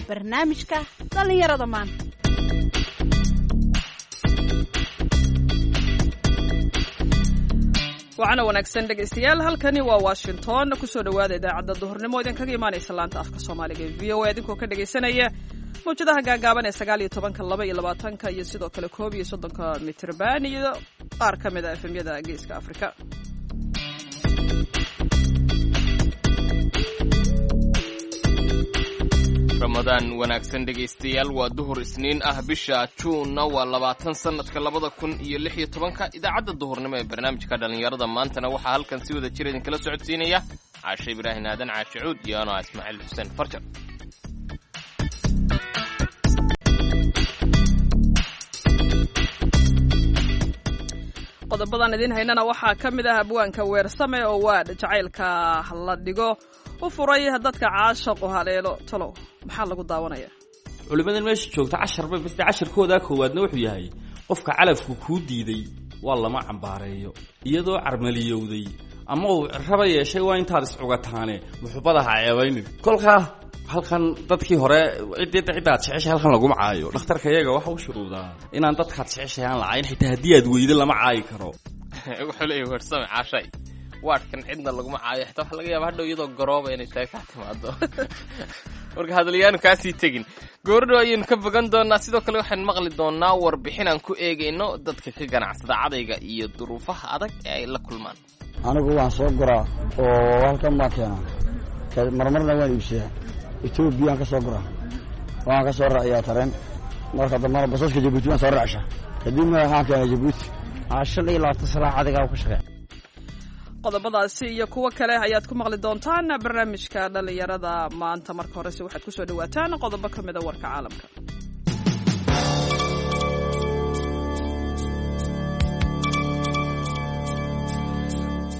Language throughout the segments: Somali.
Barnaamijka dhallinyarada maanta. Wacana wanaagsan dhegaystayaal, halkani waa Washington. Kusoo dhowaada idaacadda duhurnimo idinkaga imaanaysa laanta afka Soomaaliga ee VOA, idinkoo ka dhegaysanaya mawjadaha gaagaaban ee 19-ka, 22-ka iyo sidoo kale 31-ka mitrban iyo qaar ka mid a efemyada Geeska Afrika. Ramadaan wanaagsan dhegaystayaal, waa duhur Isniin ah, bisha Juunna waa 20, sanadka 2016-ka. Idaacadda duhurnimo ee barnaamijka dhallinyarada maantana waxaa halkan si wada jir idinkala socodsiinaya Caashe Ibraahin Aadan Caashe Cuud iyo anaa Ismaaciil Xuseen Farjar. Qodobadan idiin haynana waxaa ka mid ah abwaanka Weersame oo waadh jacaylka la dhigo u furay dadka caashaqu haleelo. Talow maxaa lagu daawanaya? Culimmadan meesha joogta casharba bas casharkoodaa koowaadna wuxuu yahay qofka calafku kuu diiday waa lama cambaareeyo, iyadoo carmaliyowday ama uu raba yeeshay waa intaad iscugataane muxubada ha ceebaynin. Kolkaa halkan dadkii hore ciddaad jeceshay halkan laguma caayo. Dhakhtarka iyaga waxa u shuruudaa inaan dadkaad jeceshay aan lacayn, xitaa haddii aad weydo lama caayi karo. Wuxuu leeyahy Weersame, Caashay, waadhkan cidna laguma caayo, xitaa waxa laga yaaba hadhow iyadoo garooba inay tahay kaa timaado. Marka hadalyaanu kaasii tegin, goordhow ayaynu ka bogan doonaa. Sidoo kale waxaan maqli doonaa warbixin aan ku eegayno dadka ka ganacsada cadayga iyo duruufaha adag ee ay la kulmaan. Anigu waan soo guraa oo halkan baan keenaa, marmarna waan iibsadaa. Etoobiyaan ka soo guraa, waan ka soo raaciyaa tareen, marka dambana basaska Jabuuti waan soo raacshaa, kadibna waxaan keenaa Jabuuti. 25 sana cadigaa ku shaqeey. Qodobadaasi iyo kuwo kale ayaad ku maqli doontaan barnaamijka dhallinyarada maanta. Marka horese waxaad kusoo dhawaataan qodobo ka mida warka caalamka.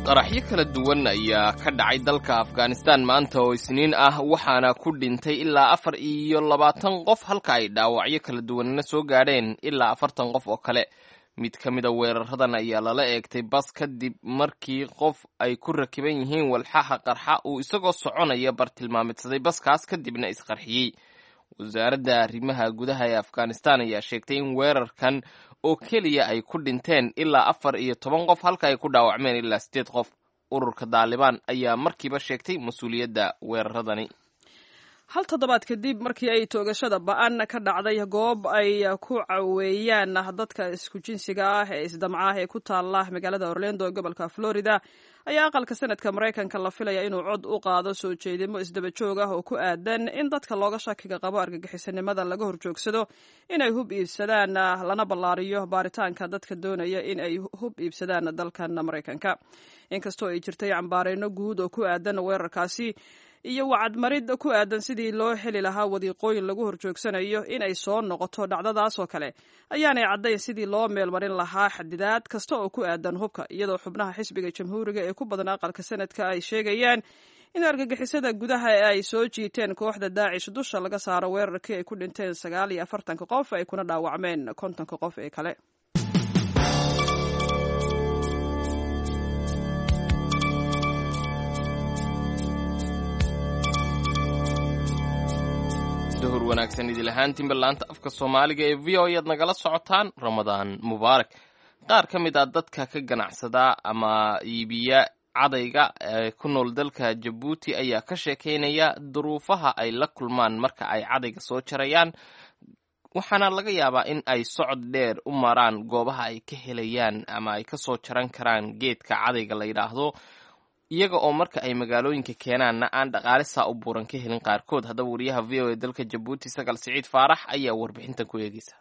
Qaraxyo kala duwan ayaa ka dhacay dalka Afghanistan maanta oo Isniin ah, waxaana ku dhintay ilaa 24 qof, halka ay dhaawacyo kala duwanna soo gaadheen ilaa 40 qof oo kale. Mid ka mida weeraradan ayaa lala eegtay bas kadib markii qof ay ku rakiban yihiin walxaha qarxa uu isagoo soconaya bartilmaameedsaday baskaas, kadibna isqarxiyey. Wasaaradda arrimaha gudaha ee Afghanistan ayaa sheegtay in weerarkan oo keliya ay ku dhinteen ilaa 14 qof, halka ay ku dhaawacmeen ilaa 8 qof. Ururka Daalibaan ayaa markiiba sheegtay mas-uuliyadda weeraradani. Hal toddobaad kadib markii ay toogashada ba-an ka dhacday goob ay ku caweeyaan dadka isku jinsiga ah ee isdamca ah ee ku taala magaalada Orlando ee gobolka Florida, ayaa aqalka Sanadka Maraykanka la filaya inuu cod u qaado soo jeedimo isdaba joog ah oo ku aadan in dadka looga shakiga qabo argagixisanimada laga horjoogsado inay hub iibsadaan, lana ballaariyo baaritaanka dadka doonaya in ay hub iibsadaan dalkan Maraykanka. Inkastoo ay jirtay cambaareyno guud oo ku aadan weerarkaasi iyo wacadmarid ku aadan sidii loo heli lahaa wadiiqooyin lagu horjoogsanayo in ay soo noqoto dhacdadaas oo kale, ayaanay caddayn sidii loo meelmarin lahaa xadidaad kasta oo ku aadan hubka, iyadoo xubnaha xisbiga Jamhuuriga ee ku badan aqalka Sanadka ay sheegayaan in argagixisada gudaha ee ay soo jiiteen kooxda Daacish dusha laga saaro weerarkii ay ku dhinteen 49-ka qof ay kuna dhaawacmeen 50-ka qof ee kale. Duhur wanaagsan idil ahaantiinba, laanta afka Soomaaliga ee VOA ayaad nagala socotaan. Ramadaan mubaarak. Qaar ka mid ah dadka ka ganacsada ama iibiya cadayga ee ku nool dalka Jabuuti ayaa ka sheekeynaya duruufaha ay la kulmaan marka ay cadayga soo jarayaan, waxaana laga yaabaa in ay socod dheer u maraan goobaha ay ka helayaan ama ay ka soo jaran karaan geedka cadayga la yidhaahdo, iyaga oo marka ay magaalooyinka keenaanna aan dhaqaale saa u buuran ka helin qaarkood. Haddaba wariyaha VOA dalka Jabuuti, Sagal Siciid Faarax, ayaa warbixintan ku eegeysa.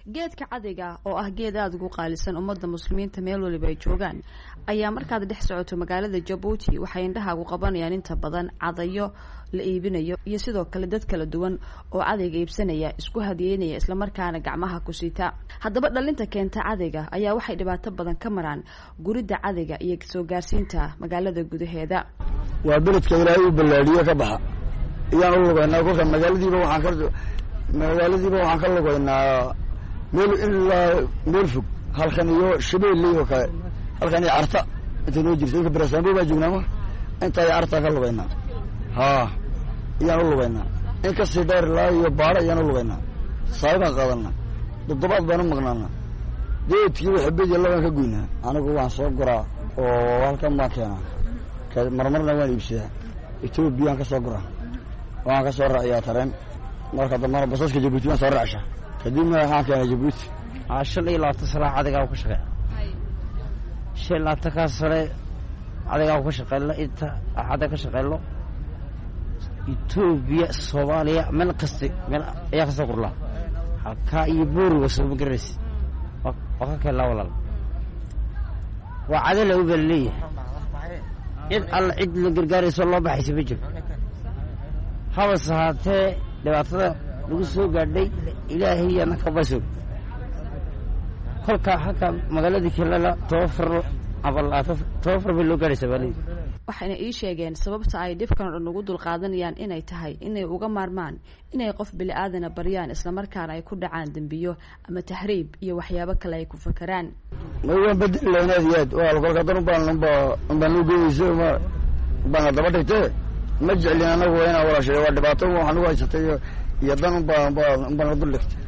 Geedka cadayga oo ah geed aada ugu qaalisan ummadda muslimiinta meel waliba ay joogaan, ayaa markaad dhex socoto magaalada Jabuuti waxay indhahaagu qabanayaan inta badan cadayo la iibinayo iyo sidoo kale dad kala duwan oo cadayga iibsanaya, isku hadiyeynaya, islamarkaana gacmaha ku siita. Haddaba dhalinta keenta cadayga ayaa waxay dhibaato badan ka maraan guridda cadayga iyo soo gaarsiinta magaalada gudaheeda. Waa beledka Ilaahay uu ballaadhiyo ka baxa iyaan u lugaynaa. Kolka magaaladiiba waxaan ka lugaynaa meel ilaa meel fog, halkan iyo Shabeelley oo kale, halkan iyo Carta inta noo jirta inka Barasaambo baa joognaa, ma inta iyo Carta ka lugaynaa. Haa. ayaan u lugaynaa. In ka sii dheer ilaa iyo baaro ayaan u lugaynaa. Saay baan qaadanaa, toddobaad baan u maqnaanaa. Geedkiiba xabad iyo labaan ka goynaa. Anigu waan soo guraa oo halkan baan keenaa, marmarna waan iibsadaa. Etoobiyaan ka soo guraa, waxaan ka soo raaciyaa tareen. Marka dambana basaska Jabuuti baan soo raacshaa, kadibna waxaan keenaa Jabuuti. 25 sano cadigaa ku shaqeeya, 25-kaa sane cadigaa ku shaqeyno, inta cada ka shaqeyno Etoobiya, Soomaaliya, meel kasta meel ayaa kasoo gurlaa. Halkaa iyo booriga soo ma garanaysid, waa ka keennaa walaal. Waa cada la u baa laleeyahay, cid alla cid la gargaarayso loo baxaysa ma jiro. Habase haatee dhibaatada lagu soo gaadhay Ilaahay anaka basoog. Kolka halka magaaladii kelala 10 far ama 10 far bay loo gaadhaysaa baa leeyihi. Waxayna ii sheegeen sababta ay dhibkan o dhan ugu dulqaadanayaan inay tahay inay uga maarmaan inay qof bili-aadana baryaan, islamarkaana ay ku dhacaan dembiyo ama tahriib iyo waxyaabo kale ay ku fakaraan. Ma waan bedeli lahayn aad iyo aad. Waa kolka dan ubaan unba unbaan noo geynaysa uma unbaan daba dhigtee. Ma jeclin anagu waa inaan walaashay, waa dhibaato waxaan ugu haysatay iyo dan unbaa unbaa unbaan dul dhigtay.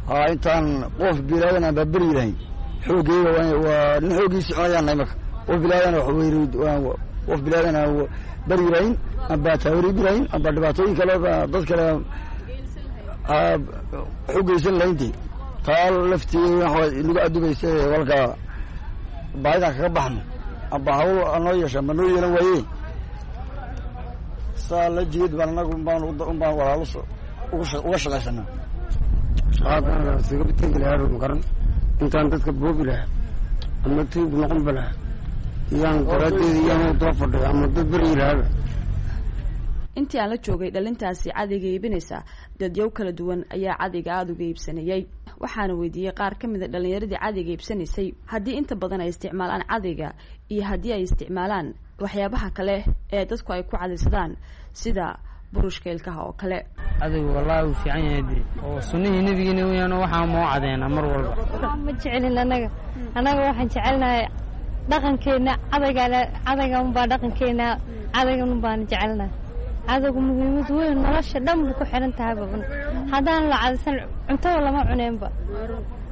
Haa, intaan qof bilaadan aan baaberi lahayn xoogayga waa nin xooggiisi cunayaan nahay. Marka qof bilaadan wax weyri, qof bilaadan aan beri lahayn amba taawriibi lahayn amba dhibaatooyin kale dad kale wax u geysan lahaynti, taa laftii waxa inagu adubaysa. Walka baahidaan kaga baxno amba hawl noo yeesha ma noo yeelan waaye, saa la jeed baan anagu unbaan walaalo uga shaqaysanaa. Shaqadan isaga tegi lahaa ma garan, intaan dadka boobi lahaa ama tuug noqonba lahaa iyaan daraaddeeda iyaan daba fadhiyo ama dad beryi lahaaba. Intii aan la joogay dhalintaasi cadayga iibinaysa, dadyow kala duwan ayaa cadayga aada uga iibsanayay. Waxaana weydiiyey qaar ka mid a dhalinyaradii cadayga iibsanaysay haddii inta badan ay isticmaalaan cadayga iyo haddii ay isticmaalaan waxyaabaha kale ee dadku ay ku cadaysadaan sida burushka ilkaha oo kale. Cadaygu wallaahi wuu fiican yahay dee, oo sunnihii nebigeena weyaan, waxaa moo cadeynaa mar walba. Ma jecelin anaga, annaga waxaan jecelnahay dhaqankeena cadayga, cadayga unbaa dhaqankeena, cadaygan unbaan jecelnahay. Cadaygu muhiimad weyn nolosha dhan buu ku xiran tahay baban. Haddaan la cadaysan cuntada lama cuneenba.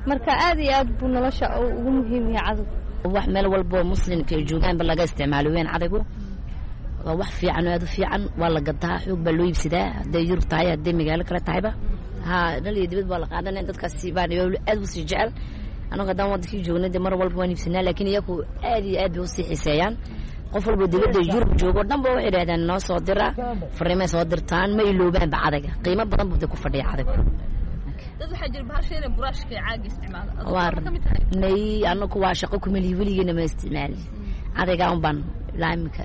Marka aad iyo aad buu nolosha ugu muhiim yahay cadaygu. Wax meel walboo muslimka ay joogaanba laga isticmaalo weyn cadaygu. Waa wax fiican oo aad u fiican, waa la gadaa, xoog baa loo iibsadaa, hadday Yurub tahay, hadday magaalo kale tahayba. Haa, dhal iyo dibad baa la qaadanaya, dadkaasi baan aad u sii jecel. Anagu haddaan wadankii joogna dee mar walba waan iibsanaa, laakiin iyaku aad iyo aad bay usii xiiseeyaan. Qof walba dibadda Yurub joogo dhan ba waxay idhahdaan noo soo dira, fariimay soo dirtaan, ma iloobaanba cadayga. Qiimo badan buu dee ku fadhiya cadaygu. Dad waxaa jira bahasha inay buraashka caaga isticmaala. May, anaku waa shaqo kumelihi, weligeena ma isticmaali. Cadaygaa un baan ilaa iminka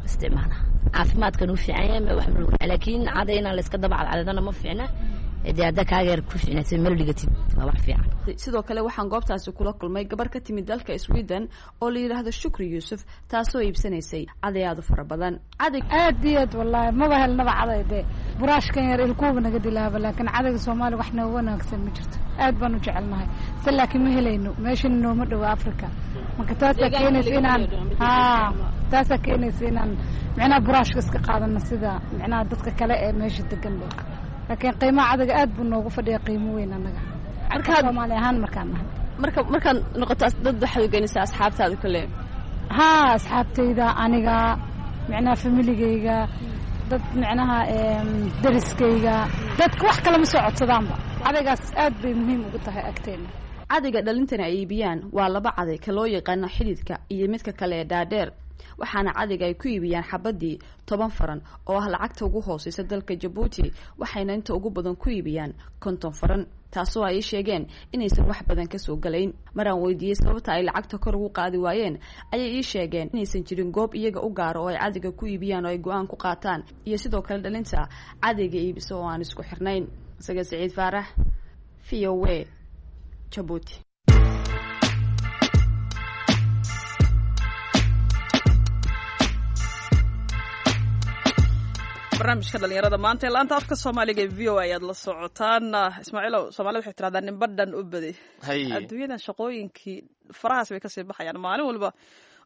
isticmaala. Caafimaadkan u fiican yahay wax, laakiin caday inaan la iska daba cadcadadana ma fiicna. Dee hadda kaaga yar ku fiicnaatid meel dhigatid waa wax fiican. Sidoo kale waxaan goobtaasi kula kulmay gabar ka timid dalka Sweden oo la yidhaahdo Shukri Yuusuf, taasoo iibsanaysay caday aada u fara badan. Caday aad iyo aad wallaahi maba helnaba caday, dee buraashkan yar ilkuuba naga dilaaba, laakiin cadayga Soomaaliya wax nooga wanaagsan ma jirto. Aad baan u jecelnahay se, laakiin ma helayno, meeshana nooma dhowo Africa. Marka taasaa keenaysa inaan, haa, taasaa keenaysa inaan micnaha buraashka iska qaadano sida micnaha dadka kale ee meesha degan ba. Laakiin qiimaha cadayga aad buu noogu fadhiya, qiimo weyn annaga marka Soomaali ahaan markaan nahay. Marka markaad noqoto dad waxaad u geynaysaa asxaabtaada kale? Haa, asxaabtayda, aniga micnaha familigayga, dad micnaha dariskayga, dadka wax kale ma soo codsadaanba. Cadaygaas aad bay muhiim ugu tahay agteena. Cadayga dhalintana ay iibiyaan waa laba caday, ka loo yaqaano xididka iyo midka kale ee dhaadheer. Waxaana cadayga ay ku iibiyaan xabadii 10 faran oo ah lacagta ugu hooseysa dalka Jabuuti, waxayna inta ugu badan ku iibiyaan 50 faran, taasoo ay sheegeen inaysan wax badan kasoo galayn. Maraan weydiiyey sababta ay lacagta kor ugu qaadi waayeen, ayay ii sheegeen inaysan jirin goob iyaga u gaaro oo ay cadayga ku iibiyaan oo ay go-aan ku qaataan, iyo sidoo kale dhalinta cadayga iibiso oo aan isku xirnayn. Isaga Siciid Faarax, V O A, Jabuuti. Barnaamijka dhalinyarada maanta ee laanta afka Soomaaliga ee V O A ayaad la socotaan. Ismaaciilow, Soomaalida waxay tiraahdaa ninba dhan u badi. Adduunyadan shaqooyinkii farahaas bay kasii baxayaan maalin walba.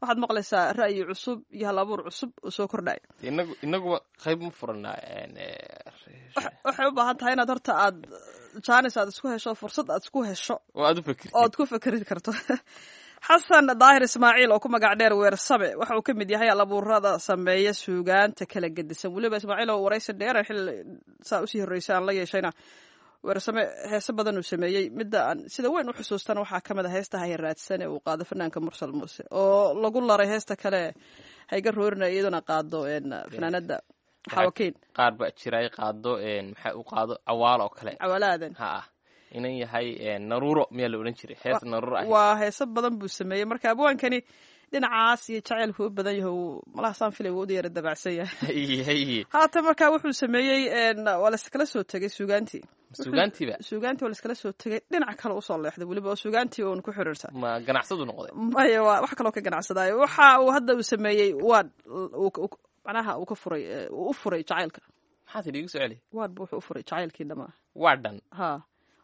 Waxaad maqlaysaa ra'yi cusub iyo hal abuur cusub oo soo kordhaya. Inaguba qayb ma furanaa? Waxay u baahan tahay inaad horta aad jaanis aad isku hesho, fursad aad isku hesho oo aad u fikirtid, ood ku fikri karto. Xasan Daahir Ismaaciil oo ku magac dheer Weersame waxa uu ka mid yahay alabuurada sameeya suugaanta kala gedisan. Weliba Ismaaciil oo waraysi dheer xil saa usii horreysay aan la yeeshayna, Weersame heese badan uu sameeyey. Midda aan sida weyn u xusuustana waxaa ka mid a heesta Hayraadsan ee uu qaado fanaanka Mursal Muuse, oo lagu laray heesta kale Hayga Roorina, iyaduna qaado fanaanada Xawakiin. Qaar baa jira ay qaado, maxaa u qaado Cawaal oo kale. Cawaalaadan. Ha inan yahay Naruuro miyaa la odhan jiray, hees Naruuro ah. Waa heeso badan buu sameeyey. Marka abwaankani dhinacaas iyo jaceylku u badan yahay, uu malaha saan filay wuu u yara dabacsan yahay haatan. Marka wuxuu sameeyey, waa laiskala soo tegay suugaantii. Suugaantiiba? Suugaantii waa laiskala soo tegay, dhinac kale usoo leexday weliba oo suugaantii uun ku xiriirta. Ma ganacsadu noqday? Maya, waa wax kaloo ka ganacsadaayo. Waxa uu hadda uu sameeyey waad macnaha uu ka furay, uu u furay jacaylka. Maxaa tidhi? Igu soo celi. Waad bu wuxuu u furay jacaylkii dhamaa. Waa dhan. Ha.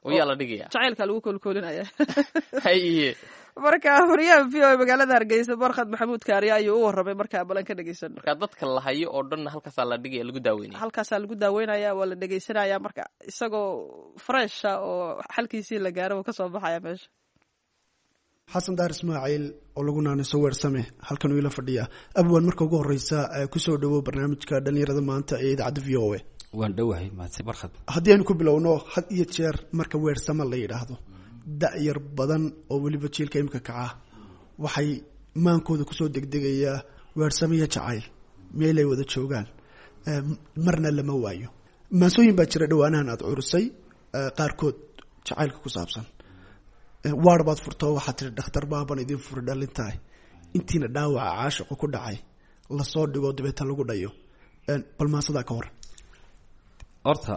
Oo yaa la dhigaya? Jacaylka lagu koolkoolinaya. Haye. Marka wariyaha VOA magaalada Hargeysa Barkhad Maxamuud Kaariye ayuu u warramay. Markaa balan ka dhegeysan. Marka dadka la hayo oo dhanna halkaasaa la dhigaya, lagu daaweynaya? Halkaasaa lagu daaweynaya, waa la dhegeysanaya. Marka isagoo fresha oo xalkiisii la gaaro uu kasoo baxaya meesha. Xasan Daar Ismaaciil oo lagu naaniso Weersame halkan uu ila fadhiya. Abwan, marka ugu horeysa kusoo dhawow barnaamijka dhalinyarada maanta ee idaacadda VOA. Waan dhowahay, mahadsan Barkhad. Haddii aynu ku bilowno, had iyo jeer marka Weersame la yidhaahdo, da-yar badan oo weliba jiilka imika kaca waxay maankooda kusoo degdegayaa Weersame iyo jacayl meel ay wada joogaan marna lama waayo. Maansooyin baa jira dhowaanahan aada curisay, qaarkood jacaylka ku saabsan. Waar baad furtoo waxaad tiri dhakhtar baaban idin furi dhalintahay intiina dhaawaca caashiqu ku dhacay lasoo dhigo dabeeta lagu dhayo. Bal maansadaa ka hor. Horta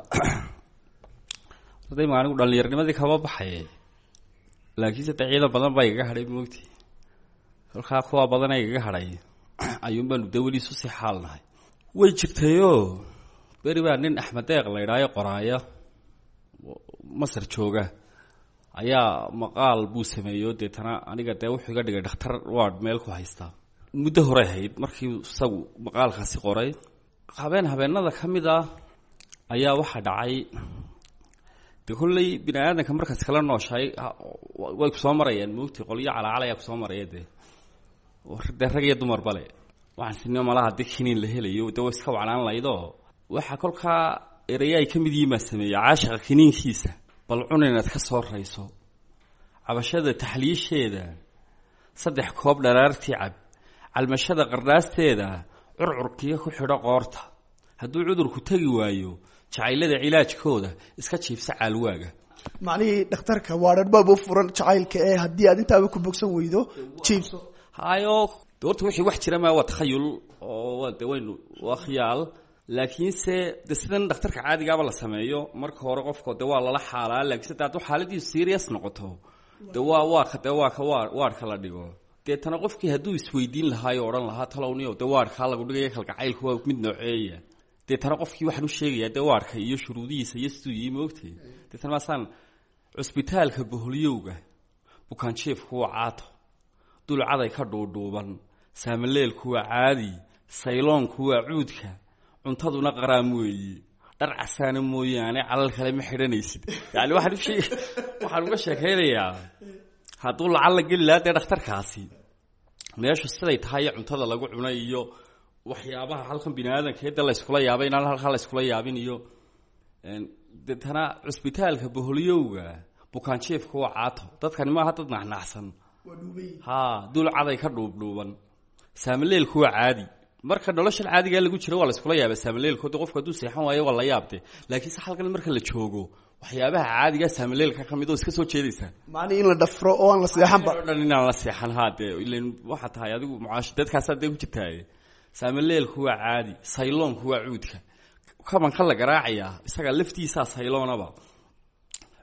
horta ima anigu dhallinyarnimadii kama baxay, laakiinse de ciidan badan baa igaga hadhay moogti. Kolkaa kuwa badana igaga hadhay ayuun baanu de weli isu sii xaalnahay. Way jirtayoo beri baa nin Axmed Deeq la idhaayo, qoraaya Masar jooga, ayaa maqaal buu sameeyo. Deetana aniga dee wuxuu iga dhigay dhakhtar ward meel ku haystaa. Muddo horey hayd markii isagu maqaalkaasi qoray. Habeen habeenada ka mid ah ayaa waxaa dhacay, de kolley bini aadanka markaas kala nooshahay way kusoo marayaan moogti, qolyo calacal ayaa kusoo maraya dee dee rag iyo dumar bale. Waxaan sinimo malaha haddii kiniin la helayo dee way iska wacnaan lahaydoo. Waxaa kolkaa eraya ay ka mid yihiin baa sameeyey: caashiqa kiniinkiisa bal cun inaad ka soo rayso, cabashada taxliisheeda 3 koob dharaartii cab, calmashada qardhaasteeda curcurkiya ku xidho qoorta, hadduu cudurku tegi waayo jacaylada cilaajkooda iska jiibsa caalwaaga. Macnihii dhakhtarka waadhanbaaba u furan jacaylka ee haddii aad intaaba ku bogsan weydo jiibso. Hayo, de horta wixii wax jira maa, waa takhayul oo waa de waynu waa khiyaal. Laakiinse de sidan dhakhtarka caadigaaba la sameeyo, marka hore qofka de waa lala xaalaa, laakiinse de hadduu xaaladiisu serious noqoto de waa ka de waa ka waa waarka la dhigo. Deetana qofkii hadduu isweydiin lahaayo odhan lahaa talowniyo de waarkaa lagu dhigaya kalgacaylku waa mid nooceeya. Deetana qofkii waxaan u sheegayaa dee waarka iyo shuruudihiisa iyo siduu yihi moogtay. Deetana maasaan cusbitaalka boholyowga bukaanjiefku waa caato, dulcaday ka dhuudhuuban, saamaleelku waa caadi, sayloonku waa cuudka, cuntaduna qaraam weeyi, dhar casaana mooyaane calal kale ma xidhanaysid. Yani waxaan usheeg waxaan uga sheekaynayaa hadduu lacal la geli lahaa dee dhakhtarkaasi meeshu siday tahay iyo cuntada lagu cunay iyo waxyaabaha halkan bini aadanka de la yskula yaabay inaan halkaa la yskula yaabin iyo deetana cusbitaalka boholyowga bukaanjiefka waa caato. Dadkani maaha dad naxnaxsan, ha dulcaday ka dhuubdhuuban, saamaleelku waa caadi. Marka noloshan caadigaa lagu jiro waa la iskula yaaba saamaleelko, de qofku hadduu seexan waayo waa la yaabte. Laakiinse halkan marka la joogo waxyaabaha caadigaa saamaleelka ka mid oo iska soo jeedaysaa. Macnihii in la dhafro oo aan la seexanba. O dhan inaan la seexan haa, dee ilan waxaa tahay adigu mucaash dadkaasaa dee ku jirtaaye. Saamaleelku waa caadi, sayloonku waa cuudka, kabanka la garaacayaa isagaa laftiisaa sayloonaba,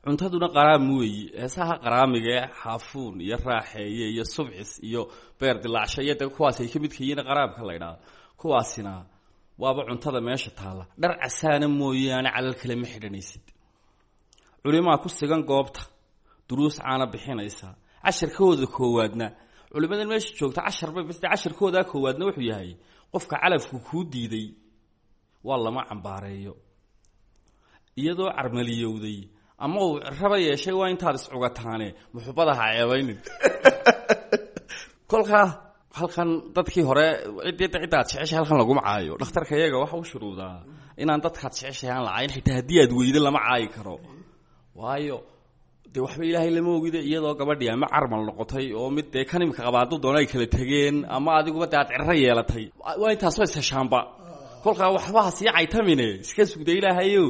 cuntaduna qaraam weeyi. Heesaha qaraamiga ee xaafuun iyo raaxeeye iyo subcis iyo beer dilaacsho iyo de kuwaas ay ka midka yihiin qaraamka la idhaahdo, kuwaasina waaba cuntada meesha taalla. Dhar casaana mooyaane calal kale ma xidhanaysid. Culimaa ku sigan goobta duruus caana bixinaysa, casharkooda koowaadna Culimadan meesha joogta cashar bay bas, cashirkoodaa koowaadna wuxuu yahay qofka calafku kuu diiday waa lama cambaareeyo, iyadoo carmaliyowday ama uu raba yeeshay waa intaad iscugataane muxubada ha ceebaynin. Kolkaa halkan dadkii hore ciddaad jeceshay halkan laguma caayo. Dhakhtarka iyaga waxa u shuruudaa inaan dadkaad jeceshay aan la caayin, xitaa haddii aad weydo lama caayi karo, waayo dee waxba ilaahay lama ogide. Iyadoo gabadhii ama carmal noqotay oo mid dee kan imika qaba hadduu doono ay kala tegeen, ama adiguba dee aad cirro yeelatay, waa intaasoo isheshaanba. Kolkaa waxba ha sii caytamine, iska sugda ilaahayo.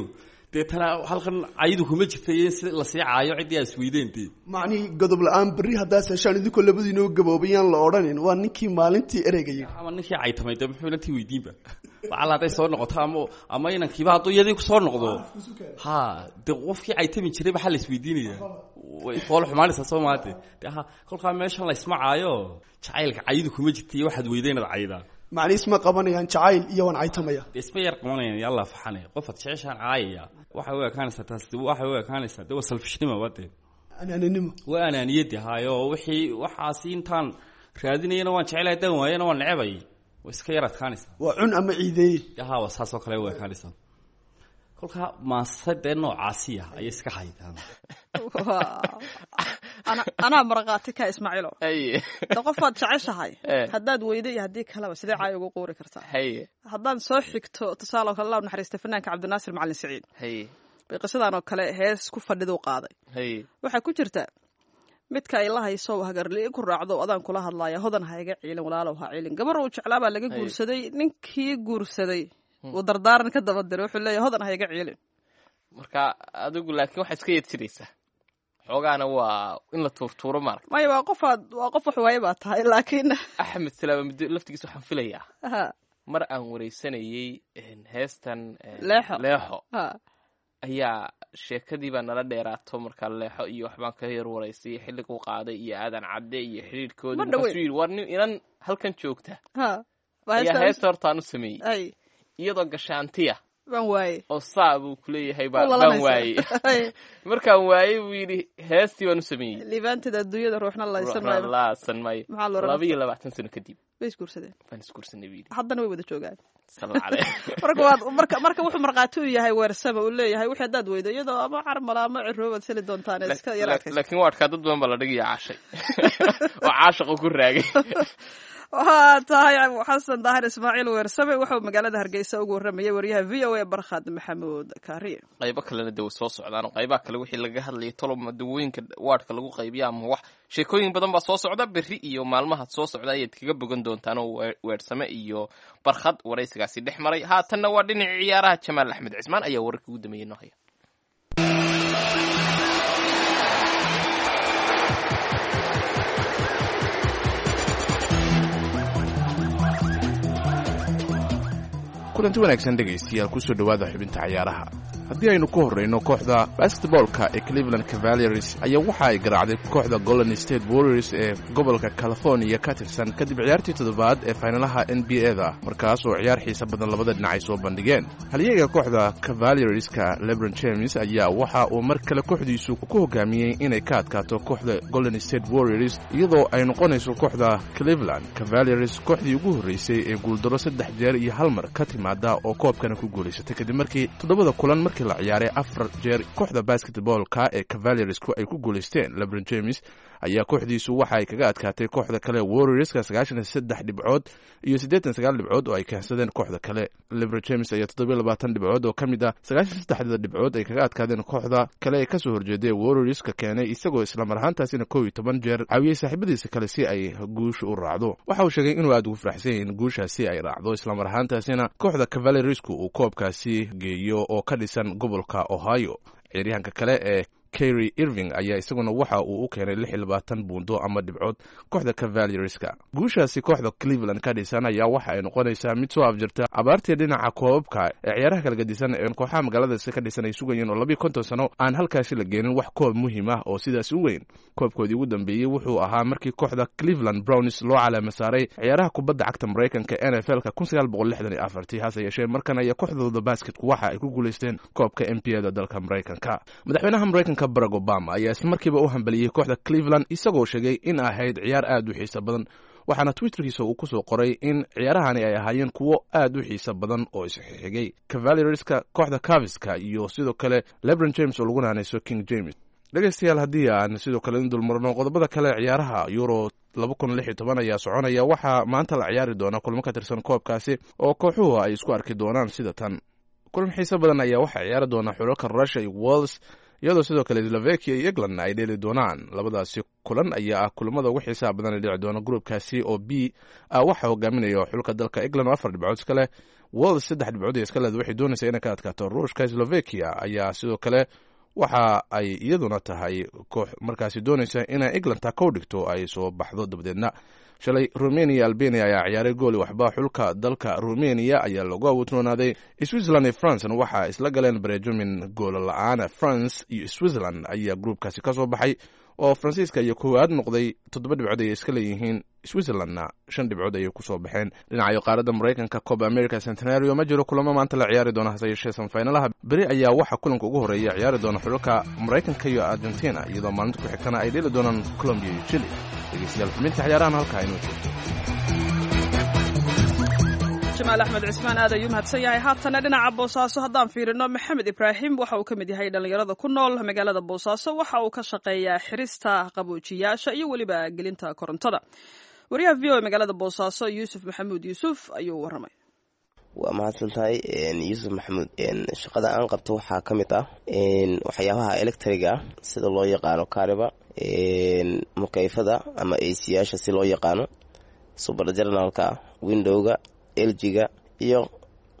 Deetana halkan caydu kuma jirta iyo in si lasii caayo ciddii aad isweydeen dee. Macnihii godob la-aan berri haddaas heshaan idinkoo labadiinoo gaboobayaan la odhanin waa ninkii maalintii ereyga yidhi. Ama ninkii caytamay dee muxuu inantii weydiinba lacala hadday soo noqoto, ama inankiiba hadduu iyadii kusoo noqdo, ha dee qofkii caytami jiray maxaa la isweydiinaya? Way fool xumaanaysaa soo maate dee. Ha, kolkaa meeshan la isma caayo, jacaylka caydu kuma jirta iyo waxaad weyday inaad caydaa. Macnii isma qabanayaan jacayl iyo waan caytamaya. Dee isma yar qabanayaan, yalla faxane qofaad jeceshaan caayaya waxay u ekaanaysaa taas, waxay u ekaanaysaa dee waa salfishnimo ba dee. Anaaninimo. Waa anaaniyadi hayo, wixii waxaasi intaan raadinayana waan jecelahay, haddaan waayana waan necebay, way iska yar adkaanaysaa. Waa cun ama ciideeye. Dee ha, waa saas oo kale u ekaanaysaa. Kolkaa maase dee noocaasiya ayay iska haydaan. Anaa markhaati ka Ismaaciilo. Haye. De qofaad jeceshahay Eh. haddaad weydo iyo haddii kaleba sidee caay ugu quuri kartaa? Haye. Haddaan soo xigto tusaale oo kale, Allah u naxariista fanaanka Cabdinaasir Macalin Siciid Haye. bay qisadan oo kale hees ku fadhiduu qaaday. Haye. Waxaa ku jirta midka ay la hayso hagarli ku raacdo, adaan kula hadlaaya, hodan ha iga ciilin, walaalow ha ciilin. Gabar uu jeclaa baa laga Haye. guursaday, ninkii guursaday uu dardaaran ka daba diray, wuxuu leeyahay hodan ha iga ciilin. Marka adigu laakiin waxaad iska yeedjiraysaa xoogaana waa in la tuurtuuro maaragta. Maya, waa qofaad, waa qof wax waaye baa tahay, laakiin Axmed Salaama muddo laftigiisa waxaan filayaa ha mar aan wareysanayey heestan Leexo. Leexo ha ayaa sheekadii baa nala dheeraato. Markaa leexo iyo waxbaan ka yar waraystay xilliguu qaaday iyo Aadan Cadde iyo xidhiidhkoodii. Ma dhaweyn. Markaasuu yidhi war nin inan halkan joogta ha ayaa heesta hortaan u sameeyey ay iyadoo gashaantiya baan waaye oo saa buu kuleeyahay U baan lalanaysa. waayey. Ay, Markaan waayey buu yidhi heestii baan u sameeyey. Liibaanteeda adduunyada ruuxna laysan Ruuxna maayo. laasan maayo. Maxaa loola 22 sano kadib bay isguursadeen. Baan isguursanay buu yidhi. Haddana way wada joogaan. Salla caleh. Marka waad marka wuxuu markhaati u yahay weersama uu leeyahay wixii haddaad weydo iyadoo ama carmala ama ciroobaad seli doontaan iska yar adkaysa. Laakiin waa adkaa, dad badan baa la dhigaya caashay oo caashaqa ku raagay. Waxaa tahay Xasan Daahir Ismaaciil Weersame wuxuu magaalada Hargeysa ugu warramayay wariyaha VOA Barkhad Maxamuud Kaariye. Qaybo kalena de way soo socdaan oo qaybaha kale wixii laga hadlayay tolob dawooyinka waadhka lagu qaybiya ama wax sheekooyin badan baa soo socda berri iyo maalmaha soo socda ayaad kaga bogan doontaan oo Weersame iyo Barkhad waraysigaasi dhex maray. Haatanna waa dhinacii ciyaaraha, Jamaal Axmed Cismaan ayaa wararkii ugu dambeeyey noo haya. Kulanti wanaagsan dhegaystayaal, kusoo dhowaada xubinta cayaaraha. Haddii aynu ku horrayno, kooxda basketboolka ee Cleveland Cavaliers ayaa waxa ay garaacday kooxda Golden State Warriors ee gobolka California ka tirsan kadib ciyaartii toddobaad ee faynalaha NBA da, markaas oo ciyaar xiisa badan labada dhinac ay soo bandhigeen. Halyeega kooxda Cavalierska LeBron James ayaa waxa uu mar kale kooxdiisu ku hogaamiyey inay ka adkaato kooxda Golden State Warriors, iyadoo ay noqonayso kooxda Cleveland Cavaliers kooxdii ugu horreysay ee guuldaro saddex jeer iyo hal mar ka timaada oo koobkana ku guulaysatay, kadib markii toddobada kulan markii la ciyaaray afar jeer kooxda basketballka ee Cavaliersku ay ku guulaysteen. LeBron James ayaa kooxdiisu waxa ay kaga adkaatay kooxda kale Warriorska 93 dhibcood iyo 89 dhibcood oo ay keensadeen kooxda kale. LeBron James ayaa 27 dhibcood oo ka mid ah 93-da dhibcood ay kaga adkaadeen kooxda kale ee kasoo horjeeday Warriorska keenay, isagoo islamar ahaantaasina 11 jeer caawiyey saaxiibadiisa kale si ay guusha u raacdo. Waxa uu sheegay inuu aad ugu faraxsan yahay in guushaasi ay raacdo, islamar ahaantaasina kooxda Cavaliersku uu koobkaasi geeyo oo ka dhisan gobolka Ohio. Ciyaaryahanka kale ee Kyrie Irving ayaa isaguna waxa uu u keenay 26 buundo ama dhibcood kooxda Cavalierska. Guushaasi kooxda Cleveland ka dhisan ayaa waxa ay noqonaysaa mid soo afjirta abaartii dhinaca koobabka ee ciyaaraha kala gedisan ee kooxaha magaaladaasi ka dhisan ay sugayeen, oo 52 sano aan halkaasi la geenin wax koob muhiim ah oo sidaas u weyn. Koobkoodii ugu dambeeyey wuxuu ahaa markii kooxda Cleveland Browns loo calaama saaray ciyaaraha kubadda cagta Maraykanka NFL-ka 1964. Hase yeeshee markan ayaa kooxdooda basketku waxa ay ku guulaysteen koobka NBA da dalka Maraykanka. Madaxweynaha Maraykanka Barack Obama ayaa islamarkiiba u hambaliyey kooxda Cleveland, isagoo sheegay in ahayd ciyaar aad u xiiso badan, waxaana Twitterkiisa uu kusoo qoray in ciyaarahani ay ahaayeen kuwo aad u xiiso badan oo isxigay Cavalierska, kooxda Caviska iyo sidoo kale LeBron James oo lagu naanayso King James. Dhegeystayaal, haddii aan sidoo kale in dulmarno qodobada kale, ciyaaraha Euro 2016 ayaa soconaya. Waxaa maanta la ciyaari doona kulmo ka tirsan koobkaasi oo kooxuhu ay isku arki doonaan sida tan. Kulan xiiso badan ayaa waxaa ciyaari doona xulalka Russia iyo Wales, iyadoo sidoo kale Slovakia iyo England ay dheeli doonaan. Labadaasi kulan ayaa ah kulamada ugu xiisaha badan ee dhici doona gruupkaasi oo B ah. Waxaa hogaaminaya xulka dalka England oo 4 dhibcood iska leh. Wales 3 dhibcood iska leed, waxay doonaysaa inay ka adkaato Ruushka. Slovakia ayaa sidoo kale waxa ay iyaduna tahay koox markaasi doonaysa inay England ta kow dhigto, ay soo baxdo. Dabadeedna shalay Romania, Albania ayaa ciyaaray, gooli waxba xulka dalka Romania ayaa lagu awoodroonaaday. Switzerland iyo Francena waxaa isla galeen barejomin goolo la-aan. France iyo Switzerland ayaa gruupkaasi ka soo baxay, oo Faransiiska iyo koowaad noqday, 7 dhibcood ayay iska leeyihiin, Switzerlandna 5 dhibcood ayay kusoo baxeen. Dhinacayo qaaradda Maraykanka, Coba America Centenario, ma jiro kulamo maanta la ciyaari doona, hase yeeshee semifinalaha beri ayaa waxaa kulanka ugu horreeya ciyaari doona xulalka Maraykanka iyo Argentina, iyadoo maalinta ku xigtana ay dheeli doonaan Colombia iyo Chile. Dhegeystayaal, xubinta ciyaarahan halkaa inoo joogto. Jamaal Axmed Cismaan aad ayuu mahadsan yahay. Haatana dhinaca Boosaaso haddaan fiirino, Maxamed Ibraahim waxa uu ka mid yahay dhallinyarada ku nool magaalada Boosaaso. Waxa uu ka shaqeeyaa xirista qaboojiyaasha iyo weliba gelinta korontada. Wariyaha VOA magaalada Boosaaso, Yuusuf Maxamuud Yuusuf, ayuu warramay. Waa mahadsan tahay, Yuusuf Maxamuud. Shaqada aan qabto waxaa ka mid ah waxyaabaha electriga, sida loo yaqaano kariba, mukayfada ama AC-yaasha si loo yaqaano, subergeneralka, windowga, LG-ga iyo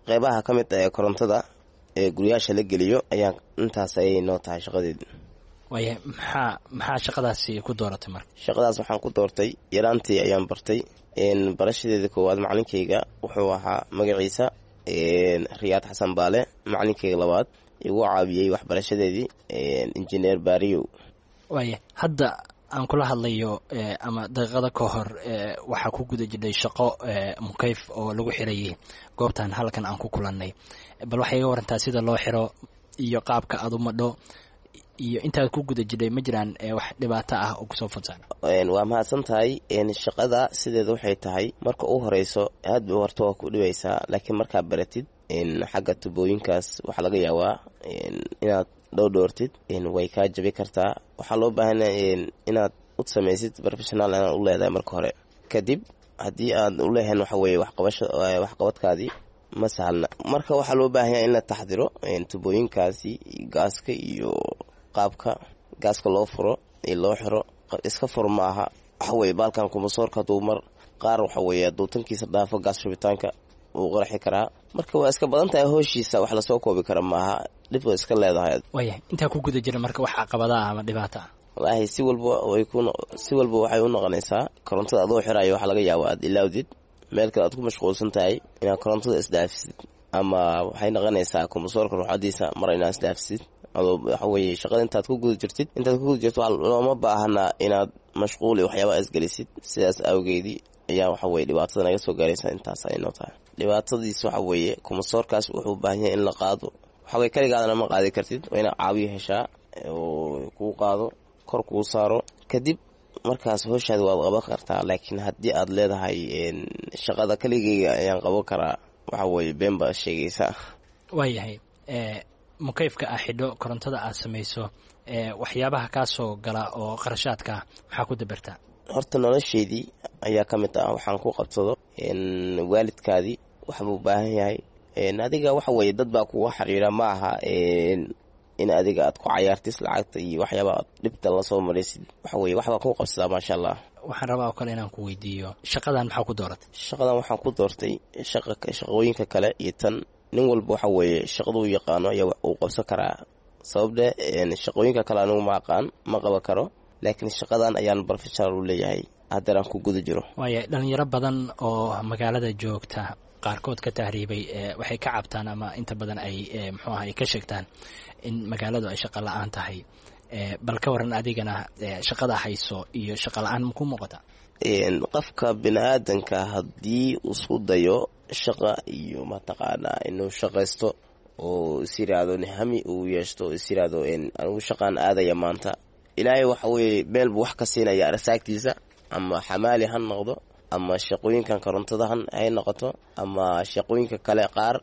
qeybaha ka mid ah ee korontada ee guryaasha la geliyo ayaa intaas ayay noo tahay shaqadeedu. Waaya, maxaa shaqadaasi ku dooratay marka? Shaqadaas waxaan ku doortay yaraantii ayaan bartay. Barashadeeda koowaad macalinkayga wuxuu ahaa magaciisa Riyaad Xasan Baale. Macalinkayga labaad igu caawiyey waxbarashadeedii, Injineer Baariyow. Waaya, hadda aan kula hadlayo ama daqiiqada ka hor waxaa ku guda jidhay shaqo mukayf oo lagu xirayay goobtan halkan aan ku kulannay. Bal waxay iga warantaa sida loo xiro iyo qaabka aad u madho iyo intaad ku guda jidhay, ma jiraan wax dhibaato ah oo kusoo fodsaana? Waa mahadsan tahay. Shaqada sideeda waxay tahay, marka u horeyso aad bay horta waa ku dhibaysaa, laakiin markaa baratid xagga tubooyinkaas waxaa laga yaabaa inaad dhowdhoortid, way kaa jabi kartaa. Waxaa loo baahanyaa inaad u samaysid professional inaad u leedahay marka hore. Kadib haddii aad u leehayn, waxa weye waxqabasho waxqabadkaadii ma sahalna. Marka waxaa loo baahanyaa in la taxdiro tubooyinkaasi, gaaska iyo qaabka gaaska loo furo iyo loo xiro. Iska fur ma aha. Waxa weye baalkan kumasoorka hadduu mar qaar, waxa weye hadduu tankiisa dhaafo, gaas shubitaanka wuu qarxi karaa. Marka waa iska badan tahay hooshiisa, wax lasoo koobi kara maaha, dhib way iska leedahay. Waayahay, intaa ku guda jira marka wax caqabada ah ama dhibaato ah? Wallaahi si walba way ku si walba waxay u noqonaysaa korontada adoo xirayo, waxaa laga yaaba aad ilaawdid meel kale aad ku mashquulsan tahay inaad korontada isdhaafisid, ama waxay noqonaysaa kumasoorka ruuxadiisa mar inaad isdhaafisid adoo waxa weye shaqada intaad ku guda jirtid. Intaad ku guda jirto looma baahana inaad mashquul iyo waxyaaba isgelisid. Sidaas awgeedii ayaa waxa weye dhibaatada naga soo gaaraysa intaas ay noo tahay. Dhibaatadiis waxa weeye kumasoorkaas wuxuu u baahan yahay in la qaado. Waxa weye kaligaadana ma qaadi kartid, waa inaad caawiyo heshaa oo kuu qaado, kor kuu saaro. Kadib markaas howshaada waad qaban kartaa. Laakiin haddii aad leedahay shaqada kaligeyga ayaan qaban karaa, waxa weeye been baa sheegaysaa. Waayahay, mukayfka aa xidho, korontada aad samayso, waxyaabaha kaa soo gala oo qarashaadka maxaa ku dabartaa? Horta nolosheydii ayaa ka mid ah waxaan ku qabsado. Waalidkaadii waxbuu u baahan yahay, adiga waxa weeye dad baa kuga xiriira. Ma aha in adiga aad ku cayaartis lacagta iyo waxyaaba aad dhibta lasoo maraysid. Waxa weye waxbaa ku qabsadaa, maasha Allah. Waxaan rabaa oo kale inaan ku weydiiyo, shaqadan maxaa ku dooratay? Shaqadan waxaan ku doortay shaqooyinka kale iyo tan, nin walba waxa weeye shaqaduu yaqaano ayaa uu qabsan karaa. Sababde shaqooyinka kale anigu ma aqaan, ma qaban karo, laakiin shaqadan ayaan professional u leeyahay haddana aan ku guda jiro. Waaya, dhalinyaro badan oo magaalada joogta, qaarkood ka tahriibay, waxay ka cabtaan ama inta badan ay muxuu aha ay ka sheegtaan in magaaladu ay shaqo la-aan tahay. Bal ka waran adigana, shaqada hayso iyo shaqo la-aan maku muuqata? Qofka bini aadanka haddii isku dayo shaqa iyo mataqaanaa inuu shaqaysto, Oo is yiraahdo hami uu yeeshto, is yiraahdo anigu shaqaan aadaya maanta, Ilaahay waxa weeye meel buu wax ka siinaya arsaagtiisa, ama xamaali ha noqdo, ama shaqooyinkan korontada hay noqoto, ama shaqooyinka kale qaar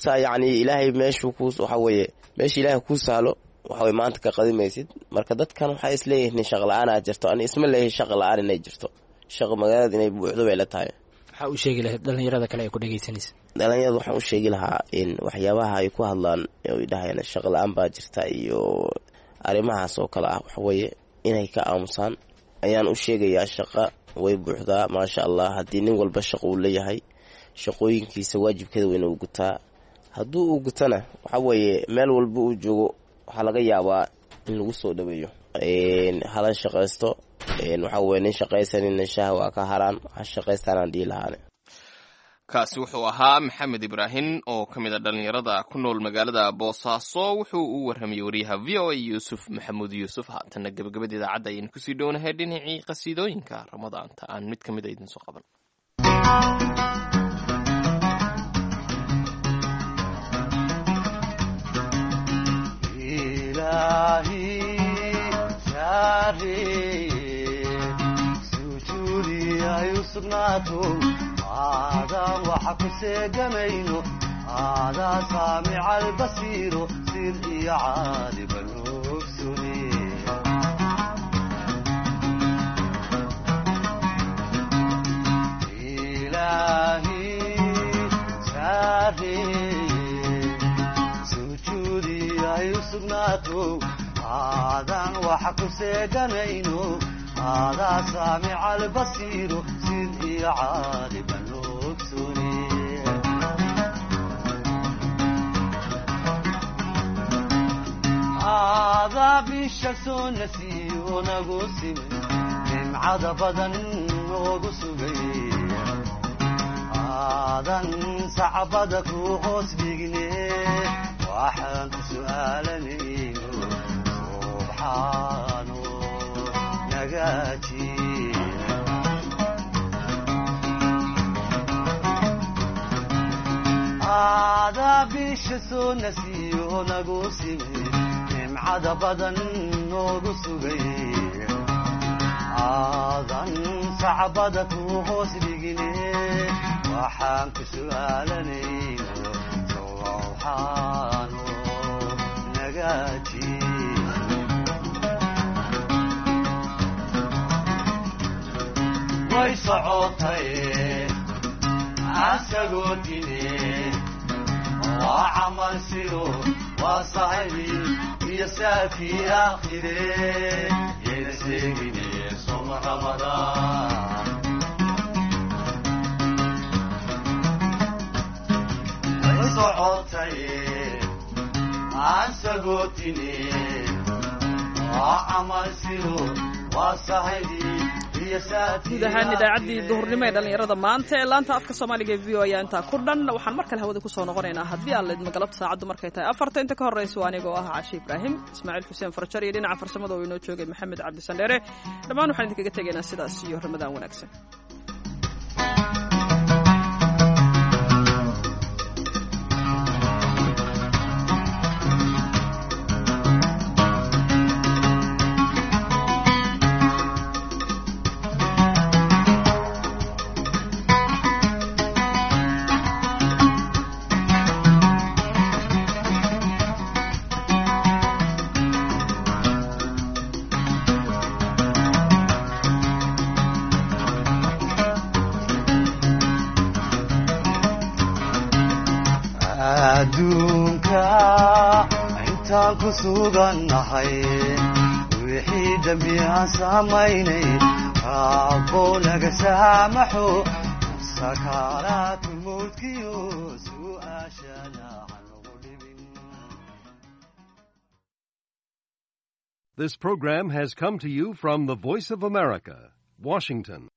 saa. Yacni Ilaahay meeshuu ku waxa weeye meesha Ilaahay kuu sahlo, waxa weye maanta ka qadimaysid. Marka dadkan waxay isleeyihiin shaqa la-aanaa jirto. Ani isma leeyahay shaqa la-aan inay jirto, shaqa magaalada inay buuxdo bay la tahay. Maxaa u sheegi lahayd dhalinyarada kale ay ku dhegeysanaysa? Dhalinyarada waxaan u sheegi lahaa in waxyaabaha ay ku hadlaan oy dhahayaan shaqa la-aan baa jirta iyo arrimahaas oo kale ah, waxaweeye inay ka aamusaan ayaan u sheegayaa. Shaqa way buuxdaa, maasha Allah. Haddii nin walba shaqo uu leeyahay, shaqooyinkiisa waajibkeeda weyna uu gutaa. Hadduu uu gutana, waxa weeye meel walba uu joogo waxaa laga yaabaa in lagu soo dhaweeyo. Hala shaqaysto. Waxa weye nin shaqaysanina shaha waa ka haraan, ha shaqaystaanaan dhihi lahaane. Kaasi wuxuu ahaa Maxamed Ibraahim oo ka mid a dhallinyarada ku nool magaalada Boosaaso. Wuxuu u warramayey wariyaha VOA Yuusuf Maxamuud Yuusuf. Haatanna gebagabada idaacadda ayaynu kusii dhownahay. Dhinacii qasiidooyinka Ramadaanta aan mid ka mid a idinsoo qaban. Aadaan waxa ku seegamayno, aadaa saamica albasiiro, sir iyo caaliban ogsune. Ilaahi saareye, sujuudi ay u sugnaato, aadaan waxa ku seeganayno, aadaa saamica albasiiro, sir iyo caaliban ogsune. Aadaa bisha soo nasiyo nagu simay, nimcada badan noogu sugay, aadan sacbada ku hoos dhigne, waxaan ku su'aalanayno subxaano nagaaji. Aadaa bisha soo nasiyo nagu simay, nimcada badan noogu sugay, aadan sacbada ku hoos dhigine, waxaan ku su'aalanayno subxaano nagaaji. Way socotay asagoo tine, waa camal sido, waa sahibi iyo saafii aakhire, yayna seegine soma Ramadaan. Way socotay asagoo tine, waa camal sido, waa sahibi. Guud ahaan idaacaddii duhurnimo ee dhallinyarada maanta ee laanta afka Soomaaliga ee VOA ayaa intaa ku dhan. Waxaan mar kale hawada kusoo noqonaynaa haddii aan laidmo galabta saacaddu markay tahay 4ta. Inta ka horreysa waa anigoo ah Cashi Ibraahim, Ismaaciil Xuseen Farjar iyo dhinaca farsamada oo inoo joogay Maxamed Cabdi Sandheere. Dhammaan waxaan idinkaga tegaynaa sidaas iyo Ramadaan wanaagsan. Adduunka intaan ku sugannahay, wixii dembi aan samaynay Rabbo naga saamaxo, sakaaraatulmowdkiyo su'aashana hanagu dhibin. This program has come to you from the Voice of America, Washington.